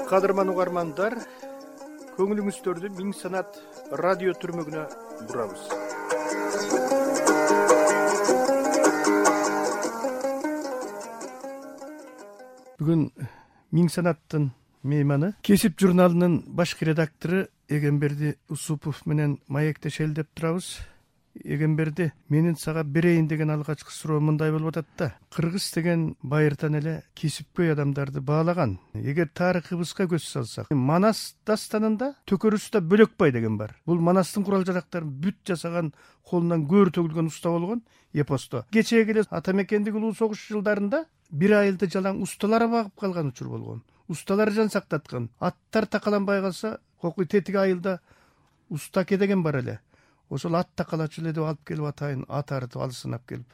Кадырман угармандар, көңүлүңүздөрдү Миң Санат радио түрмөгүнө бурабыз. Бүгүн Миң Санаттын мейманы Кесип журналынын башкы редактору Эгемберди Усупов менен маектешели деп турабыз. Эгемберди, менин сага берейин деген алгачкы суроо мындай болуп атат да. Кыргыз деген байыртан эле кесипкөй адамдарды баалаган. Эгер тарыхыбызга көз салсак, Манас дастанында төкөрүстө Бөлөкбай деген бар. Бул Манастын курал жарактарын бүт жасаган, колунан көөр төгүлгөн уста болгон эпосто. Кечеге эле ата мекендик улуу согуш жылдарында бир айылды жалаң усталар багып калган учур болгон. Усталар жан сактаткан. Аттар такаланбай калса, кокуй тетиги айылда устаке деген бар эле. Ошол ат такалачу эле деп алып келип атайын, ат арытып алысынап келип.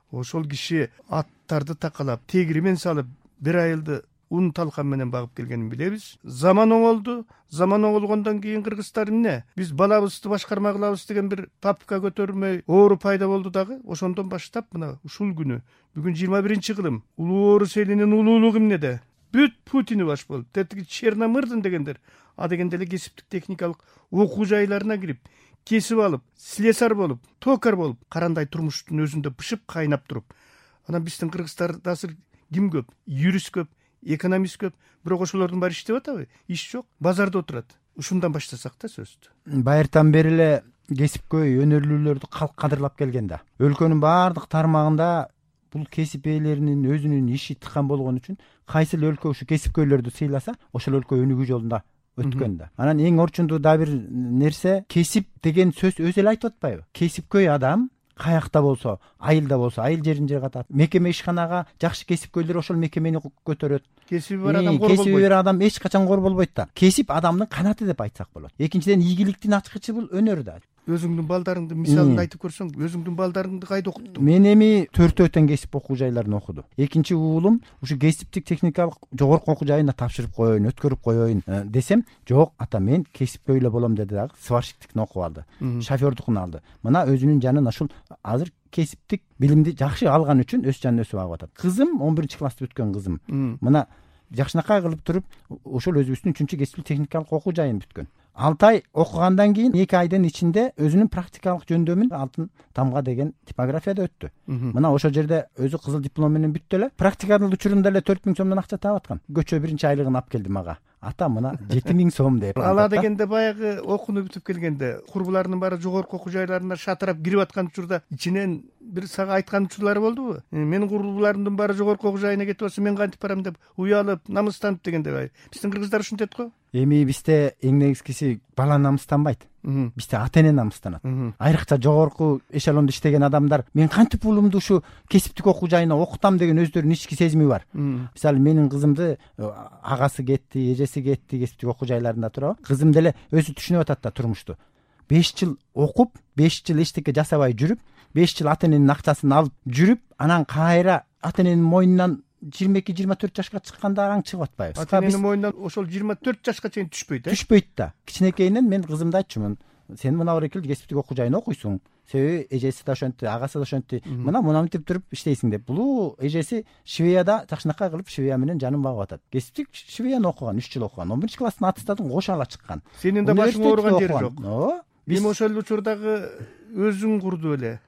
Ошол киши аттарды такалап, тегиримен салып, бир айылды ун талкан менен багып келгенин билебиз. Заман оңолду. Заман оңолгондон кийин кыргыздар эмне? Биз балабызды башкарма кылабыз деген бир папка көтөрмөй оору пайда болду дагы. Ошондон баштап мына ушул күнү, бүгүн 21-кылым, улуу орус элинин улуулугу эмнеде? Бүт Путини баш болуп, тетиги Черномырдин дегендер, а дегенде эле кесиптик техникалык окуу жайларына кирип, кесип алып, слесарь болуп, токар болуп, карандай турмуштун өзүндө бышып кайнап туруп. Анан биздин кыргыздарда азыр ким көп? Юрист көп, экономист көп, бирок ошолордун баары иштеп атабы? Иш жок, базарда отурат. Ушундан баштасак да сөздү. Байыртан бери эле кесипкөй өнөрлүүлөрдү калк кадырлап келген да. Өлкөнүн баардык тармагында бул кесип ээлеринин өзүнүн иши тыккан болгон үчүн кайсы өлкө ушу кесипкөйлөрдү сыйласа, ошол өлкө өнүгүү жолунда өткөн да. Анан эң орчундуу да бир нерсе, кесип деген сөз өзү эле айтып атпайбы? Кесипкөй адам каякта болсо, айылда болсо, айыл жеринде катат. Мекеме ишканага жакшы кесипкөйлөр ошол мекемени көтөрөт. Кесиби бар адам кор болбойт. Кесиби бар адам эч качан кор болбойт да. Кесип адамдын канаты деп айтсак болот. Экинчиден, ийгиликтин ачкычы бул өнөр да. Өзүңдүн балдарыңды мисалын айтып көрсөң, өзүңдүн балдарыңды кайда окуттуң? Мен эми 4 тең кесип окуу жайларын окудум. Экинчи уулум ушу кесиптик техникалык жогорку окуу жайына тапшырып коеюн, өткөрүп коеюн десем, жок, ата мен кесипкөй эле болом деди дагы, сварщиктикин окуп алды, шофёрдукун алды. Мына өзүнүн жанын ушул азыр кесиптик билимди жакшы алган үчүн өз жанын өсүп агып атат. Кызым 11-классты бүткөн кызым. Мына жакшынакай кылып туруп, ошол өзүбүздүн 3-кы кесиптик техникалык окуу жайын бүткөн. 6 ай окугандан кийин 2 айдын ичинде өзүнүн практикалык жөндөмүн алтын тамга деген типографияда өттү. Мына ошол жерде өзү кызыл диплом менен бүттү эле. Практиканын учурунда эле 4000 сомдон акча таап аткан. Көчө биринчи айлыгын алып келди мага. Ата мына 7000 сом деп. Ала дегенде баягы окууну бүтүп келгенде курбуларынын баары жогорку окуу жайларына шатырап кирип аткан учурда ичинен бир сага айткан учурлары болдубу? Менин курбуларымдын баары жогорку окуу жайына кетип атса, мен кантип барам деп уялып, намыстанып дегенде. Биздин кыргыздар ушинтет го. Эми бизде эң негизгиси бала намыстанбайт. Бизде ата эне намыстанат. Айрыкча жогорку эшелондо иштеген адамдар мен кантип уулумду ушу кесиптик окуу жайына окутам деген өздөрүнүн ички сезими бар. Мисалы менин кызымды агасы кетти, эжеси кетти, кесиптик окуу жайларында турабы. Кызым деле өзү түшүнүп атат да турмушту. 5 жыл окуп, 5 жыл эчтеке жасабай жүрүп, 5 жыл ата эненин акчасын алып жүрүп, анан кайра ата эненин мойнунан 22-24 жашка чыкканда аң чыгып атпайбы? Ата эненин мойнунан ошол 24 жашка чейин түшпөйт, Түшпөйт да. Кичинекейинен мен кызымды айтчумун. Сен мына баракел кесиптик окуу жайына окуйсуң. Себеби эжеси да ошентти, агасы да ошентти. Мына мынтип туруп иштейсиң деп. Бул эжеси швеяда жакшынакай кылып швея менен жанын багып атат. Кесиптик швеяны окуган, 3 жыл окуган. 11-класстын аттестатын кошо ала чыккан. Сенин да башың ооруган жери жок. Биз ошол учурдагы өзүң курдуу эле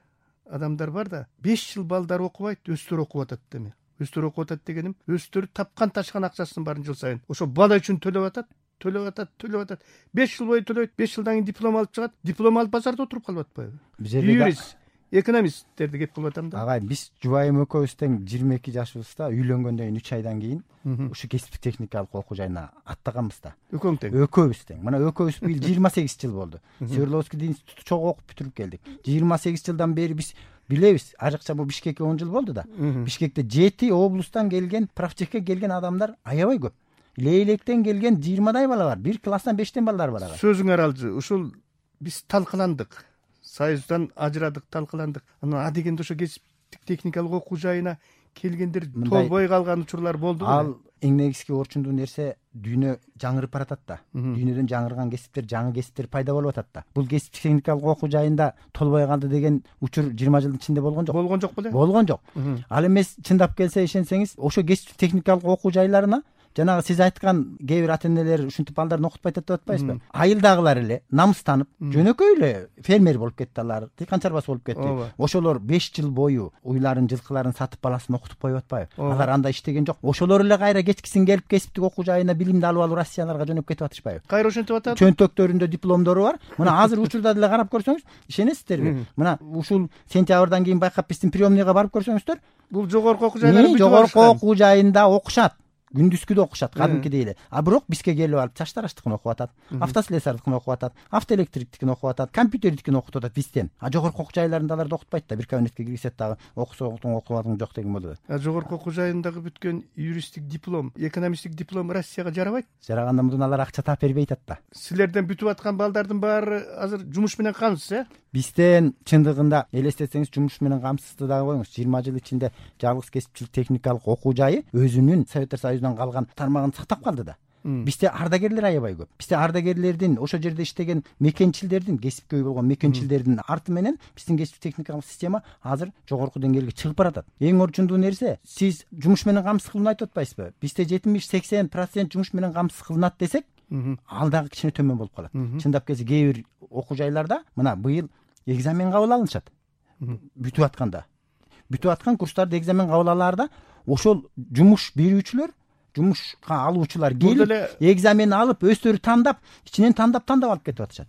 адамдар бар да, 5 жыл балдар окубайт, өздөрү окуп атат деме. Өздөрү окуп атат дегеним, өздөрү тапкан ташкан акчасынын баарын жыл сайын ошо бала үчүн төлөп атат. 5 жыл бою төлөйт, 5 жылдан кийин диплом алып чыгат. Диплом алып базарда отуруп калып атпайбы? Юрист, экономисттерди кеп кылып атам да. Агай, биз жубайым экөөбүз тең 22 жашыбызда үйлөнгөндөн кийин 3 айдан кийин ушу кесиптик техникалык окуу жайына аттаганбыз да. Экөөң тең? Экөөбүз тең. Мына экөөбүз быйыл 28 жыл болду. Свердловский институту чогуу окуп бүтүрүп келдик. 28 жылдан бери биз билебиз, айрыкча бул Бишкекке 10 жыл болду да. Бишкекте 7 облустан келген, правчекке келген адамдар аябай көп. Лейлектен келген 20дай бала бар. 1 класстан 5тен балдар бар ага. Сөзүң аралжы. Ушул биз талкаландык. Союздан ажырадык, талкаландык. Анан а дегенде ошо кесиптик техникалык окуу жайына келгендер толбой калган учурлар болду. Ал эң негизги орчундуу нерсе, дүйнө жаңырып баратат да. Дүйнөдөн жаңырган кесиптер, жаңы кесиптер пайда болуп атат да. Бул кесиптик техникалык окуу жайында толбой калды деген учур 20 жылдын ичинде болгон жок. Болгон жок беле? Болгон жок. Ал эмес, чындап келсе ишенсеңиз, ошо кесиптик техникалык окуу жайларына жанагы сиз айткан кээ бир ата энелер ушинтип балдарын окутпай атат деп атпайсызбы? Айылдагылар эле намыстанып, жөнөкөй эле фермер болуп кетти, алар дыйкан чарбасы болуп кетти. Ошолор 5 жыл бою уйларын, жылкыларын сатып баласын окутуп коюп атпайбы? Алар андай иштеген жок. Ошолор эле кайра кечкисин келип кесиптик окуу жайына билимди алып Россияларга жөнөп кетип атышпайбы? Кайра ошентип атат. Чөнтөктөрүндө дипломдору бар. Мына азыр учурда деле карап көрсөңүз, ишенесиздерби? Мына ушул сентябрдан кийин байкап биздин приемныйга барып көрсөңүздөр, бул жогорку окуу жайлар бүтүп жогорку окуу жайында окушат. Күндүзгү да окушат, кадимкидей эле. А бирок бизге келип алып чачтарачтыкын окуп атат, автослесардыкын окуп атат, автоэлектриктикин окуп атат, компьютердикин окутуп атат бизден. А жогорку окуу жайларында аларды окутпайт да. Бир кабинетке киргизет дагы окусо окубадың жок деген болот. Жогорку окуу жайындагы бүткөн юристтик диплом, экономисттик диплом Россияга жарабайт. Жараганда мындан алар акча таап бербей атат да. Силерден бүтүп аткан балдардын баары азыр жумуш менен камсыз, Бизден чындыгында элестетсеңиз жумуш менен камсызды дагы коюңуз. 20 жыл ичинде жалгыз кесипчилик техникалык окуу жайы өзүнүн Советтер Союзунан калган тармагын сактап калды да. Бизде ардагерлер аябай көп. Бизде ардагерлердин, ошол жерде иштеген мекенчилдердин, кесипкөй болгон мекенчилердин арты менен биздин кесиптик техникалык система азыр жогорку деңгээлге чыгып баратат. Эң орчундуу нерсе, сиз жумуш менен камсыз кылынат айтып атпайсызбы? Бизде 70-80% жумуш менен камсыз кылынат десек, ал дагы кичине төмөн болуп калат. Чындап келсе, кээ бир окуу жайларда мына быйыл экзамен кабыл алынышат. Бүтүп аткан курстарды экзамен кабыл алаарда ошол жумуш берүүчүлөр, жумушка алуучулар келип экзамен алып, өздөрү тандап, ичинен тандап алып кетип атышат.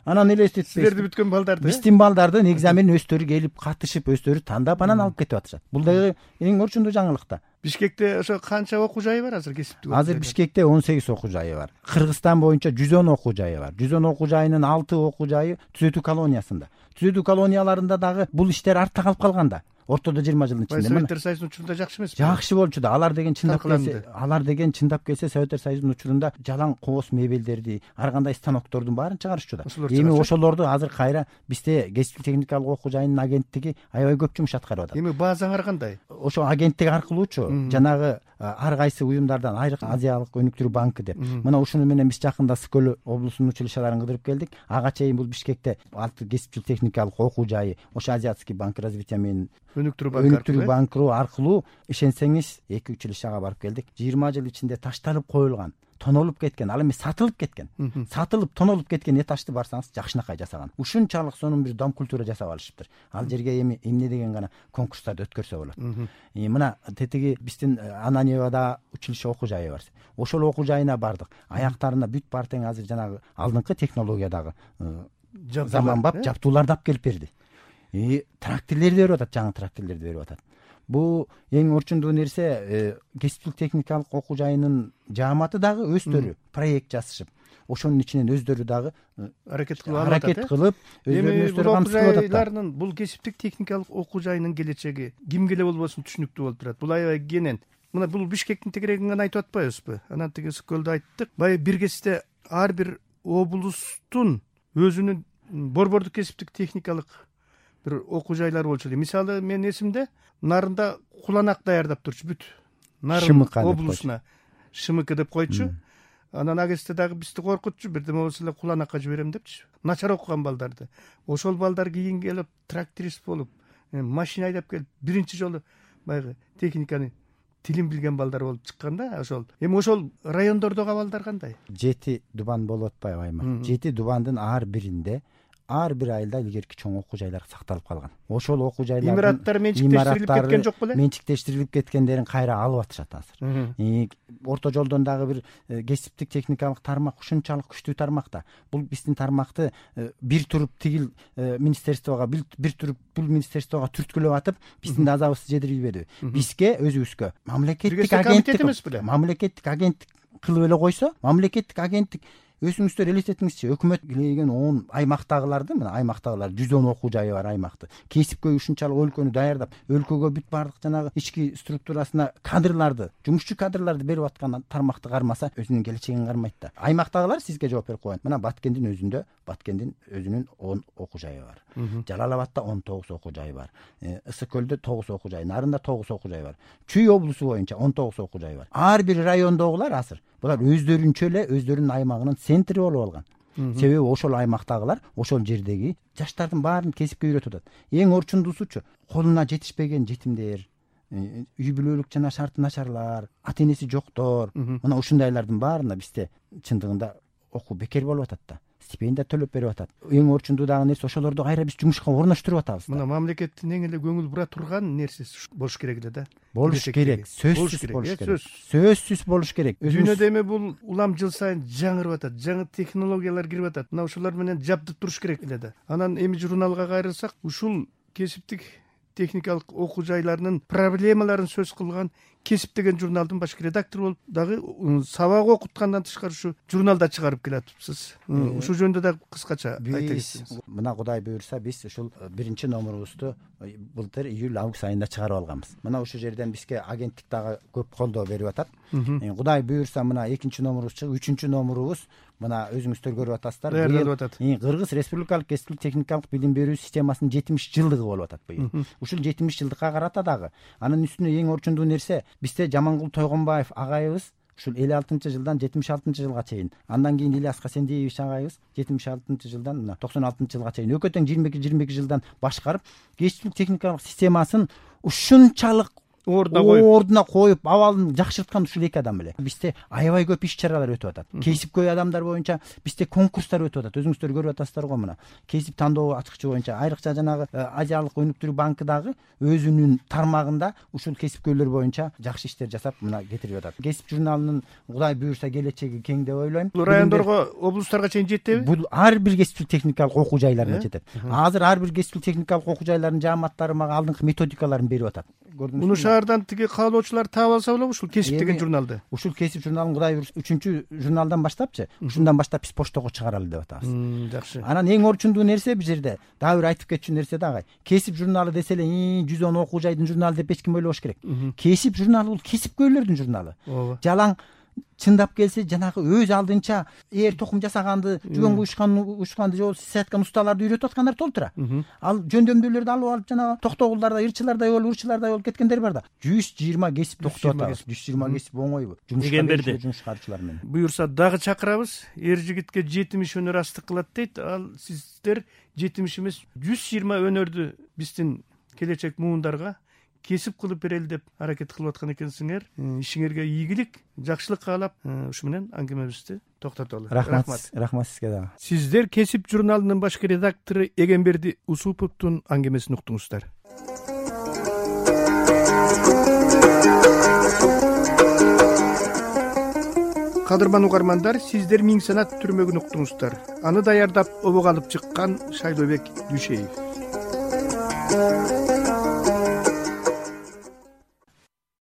Анан элестетпейсиз. Силерди бүткөн балдарды, биздин балдардын экзаменин өздөрү келип катышып, өздөрү тандап, анан алып кетип атышат. Бул дагы эң орчундуу жаңылык да. Бишкекте ошо канча окуу жайы бар азыр кесиптик? Азыр Бишкекте 18 окуу жайы бар. Кыргызстан боюнча 110 окуу жайы бар. 110 окуу жайынын 6 окуу жайы түзөтүү колониясында. Түзөтүү колонияларында дагы бул иштер артта калып калган да. Ортодо 20 жылдын ичинде. Советтер Союзунун учурунда жакшы эмеспи? Жакшы болчу да. Алар деген чындап келсе Советтер Союзунун учурунда жалаң кооз мебелдерди, ар кандай станоктордун баарын чыгарышчу да. Эми ошолорду азыр кайра бизде кесиптик техникалык окуу жайынын агенттиги аябай көп жумуш аткарып атат. Эми базаңар кандай? Ошо агенттик аркылуучу жанагы ар кайсы уюмдардан Айрык Азиялык өнүктүрүү банкы деп. Мына ушуну менен биз жакында Скөл облусунун училищаларын кыдырып келдик. Ага чейин бул Бишкекте алты кесипчилик техникалык окуу жайы ошо Азиатский банк развития менен өнүктүрүү банкы аркылуу ишенсеңиз 2 училищага барып келдик. 20 жыл ичинде ташталып коюлган, тонолуп кеткен, ал эми сатылып кеткен. Сатылып, тонолуп кеткен этажды барсаңыз жакшынакай жасаган. Ушунчалык сонун бир дом культура жасап алышыптыр. Ал жерге эми эмне деген гана конкурстарды өткөрсө болот. Мына тетиги биздин Ананьевада училище окуу жайы бар. Ошол окуу жайына бардык. Аяктарына бүт бар тең азыр жанагы алдыңкы технологиядагы заманбап жабдууларды алып келип берди. Тракторлерди берип атат, жаңы тракторлерди берип атат. Бул эң орчундуу нерсе, кесиптик техникалык окуу жайынын жааматы дагы өздөрү проект жасашып, ошонун ичинен өздөрү дагы аракет кылып, өздөрү камсыз кылып атат. Бул кесиптик техникалык окуу жайынын келечеги кимге эле болбосун түшүнүктүү болуп турат. Бул аябай кенен. Мына бул Бишкектин тегерегин гана айтып атпайбызбы? Анан тиги Скөлдө айттык. Баягы бир кезде ар бир облустун өзүнүн борбордук кесиптик техникалык бир окуу жайлары болчу. Мисалы, менин эсимде Нарында куланак даярдап турчу бүт. Нарын облусуна ШМК деп койчу. Анан агесте дагы бизди коркутчу, бирдеме болсо эле куланакка жиберем депчи. Начар окуган балдарды. Ошол балдар кийин келип тракторист болуп, машина айдап келип, биринчи жолу баягы техниканы тилин билген балдар болуп чыккан да. Ошол эми ошол райондордогу абалдар кандай? 7 дубан болуп атпайбы аймак? 7 дубандын ар биринде ар бир айылда илгерки чоң окуу жайлар сакталып калган. Ошол окуу жайлардын имараттары менчиктештирилип кеткен жок беле? Менчиктештирилип кеткендерин кайра алып атышат азыр. Орто жолдон дагы бир кесиптик техникалык тармак ушунчалык күчтүү тармак да. Бул биздин тармакты бир туруп тигил министерствого, бир туруп бул министерствого түрткүлөп атып, биздин азабыбызды жедирбеди. Бизге өзүбүзгө мамлекеттик агенттик кылып эле койсо, мамлекеттик агенттик өзүңүздөр элестетиңизчи, өкмөт килеген 10 аймактагыларды, мына аймактагылар 110 окуу жайы бар аймакты. Кесипкөй ушунчалык өлкөнү даярдап, өлкөгө бүт бардык жанагы ички структурасына кадрларды, жумушчу кадрларды берип аткан тармакты кармаса, өзүнүн келечегин кармайт да. Аймактагылар сизге жооп берип коет. Мына Баткендин өзүнүн 10 окуу жайы бар. Жалал-Абадта 19 окуу жайы бар. Ысык-Көлдө 9 окуу жайы, Нарында 9 окуу жайы бар. Чүй облусу боюнча 19 окуу жайы бар. Ар бир райондогулар азыр булар өздөрүнчө эле өздөрүнүн аймагынын центри болуп алган. Себеби ошол аймактагылар ошол жердеги жаштардын баарын кесипке үйрөтүп атат. Эң орчундуусучу колуна жетишпеген жетимдер, үй бүлөлүк жана шарты начарлар, ата энеси жоктор, мына ушундайлардын баарына бизде чындыгында окуу бекер болуп атат да. Стипендия төлөп берип атат. Эң орчундуудагы нерсе ошолорду кайра биз жумушка орноштуруп атабыз. Мына мамлекеттин эң эле көңүл бура турган нерсеси болуш керек эле да. Болуш керек, сөзсүз болуш керек. Сөзсүз болуш керек. Дүйнөдө эми бул улам жыл сайын жаңырып атат, жаңы технологиялар кирип атат. Мына ушулар менен жабдып туруш керек эле да. Анан эми журналга кайрылсак, ушул кесиптик техникалык окуу жайларынын проблемаларын сөз кылган Кесип деген журналдын башкы редактору болуп дагы сабак окуткандан тышкары ушу журналда чыгарып келатыпсыз. Ушул жөнүндө дагы кыскача айта кетсеңиз. Мына Кудай буйрса биз ушул биринчи номерубузду былтыр июль-август айында чыгарып алганбыз. Мына ушул жерден бизге агенттик дагы көп колдоо берип атат. Кудай буйрса мына экинчи номерубуз чыгып, үчүнчү номерубуз мына өзүңүздөр көрүп атасыздар. Даярдалып атат. Кыргыз Республикалык кесиптик техникалык билим берүү системасынын 70 жылдыгы болуп атат быйыл. Ушул 70 жылдыкка карата дагы анын үстүнө эң орчундуу нерсе бизде Жамангул Тойгонбаев агайыбыз ушул 56-жылдан 76-жылга чейин, андан кийин Ильяс Хасендиевич агайыбыз 76-жылдан 96-жылга чейин өкө тең 22 жылдан башкарып, кесиптик техникалык системасын ушунчалык ордуна коюп, абалын жакшырткан ушул эки адам эле. Бизде аябай көп иш-чаралар өтүп атат. Кесипкөй адамдар боюнча бизде конкурстар өтүп атат. Өзүңүздөр көрүп атасыздар го мына. Кесип тандоо ачкычы боюнча айрыкча жанагы Азиялык өнүктүрүү банкы дагы өзүнүн тармагында ушул кесипкөйлөр боюнча жакшы иштер жасап мына кетирип атат. Кесип журналынын Кудай буйрса келечеги кең деп ойлойм. Бул райондорго, облустарга чейин жетеби? Бул ар бир кесиптик техникалык окуу жайларына жетет. Азыр ар бир кесиптик техникалык окуу жайларынын жааматтары мага алдыңкы методикаларын берип атат. Муну шаардан тиги каалоочулар таап алса болобу ушул кесип деген журналды? Ушул кесип журналын Кудай буйрса 3-чү журналдан баштапчы, ушундан баштап биз поштого чыгаралы деп атабыз. Жакшы. Анан эң орчундуу нерсе бул жерде дагы бир айтып кетчү нерсе дагы. Кесип журналы десе эле 110 окуу жайдын журналы деп эч ким ойлобош керек. Кесип журналы бул кесипкөйлөрдүн журналы. Жалаң чындап келсе жанагы өз алдынча токум жасаганды, жүгөн куюшканды же саткан усталарды үйрөтүп аткандар толтура. Ал жөндөмдүүлөрдү алып жанагы токтогулдарда, ырчылардай болуп кеткендер бар да. 120 кесип токтоп атабыз. 120 кесип оңойбу? Жумушкарчылар менен. Буюрса дагы чакырабыз. Эр жигитке 70 өнөр астык кылат дейт. Ал сиздер 70 эмес 120 өнөрдү биздин келечек муундарга кесип кылып берели деп аракет кылып аткан экенсиңер. Ишиңерге ийгилик, жакшылык каалап, ушу менен аңгемебизди токтотолу. Рахмат сизге дагы. Сиздер Кесип журналынын башкы редактору Эгемберди Усуповдун аңгемесин уктуңуздар. Кадырман угармандар, сиздер Миң санат түрмөгүн уктуңуздар. Аны даярдап обого алып чыккан Шайлообек Дүйшеев.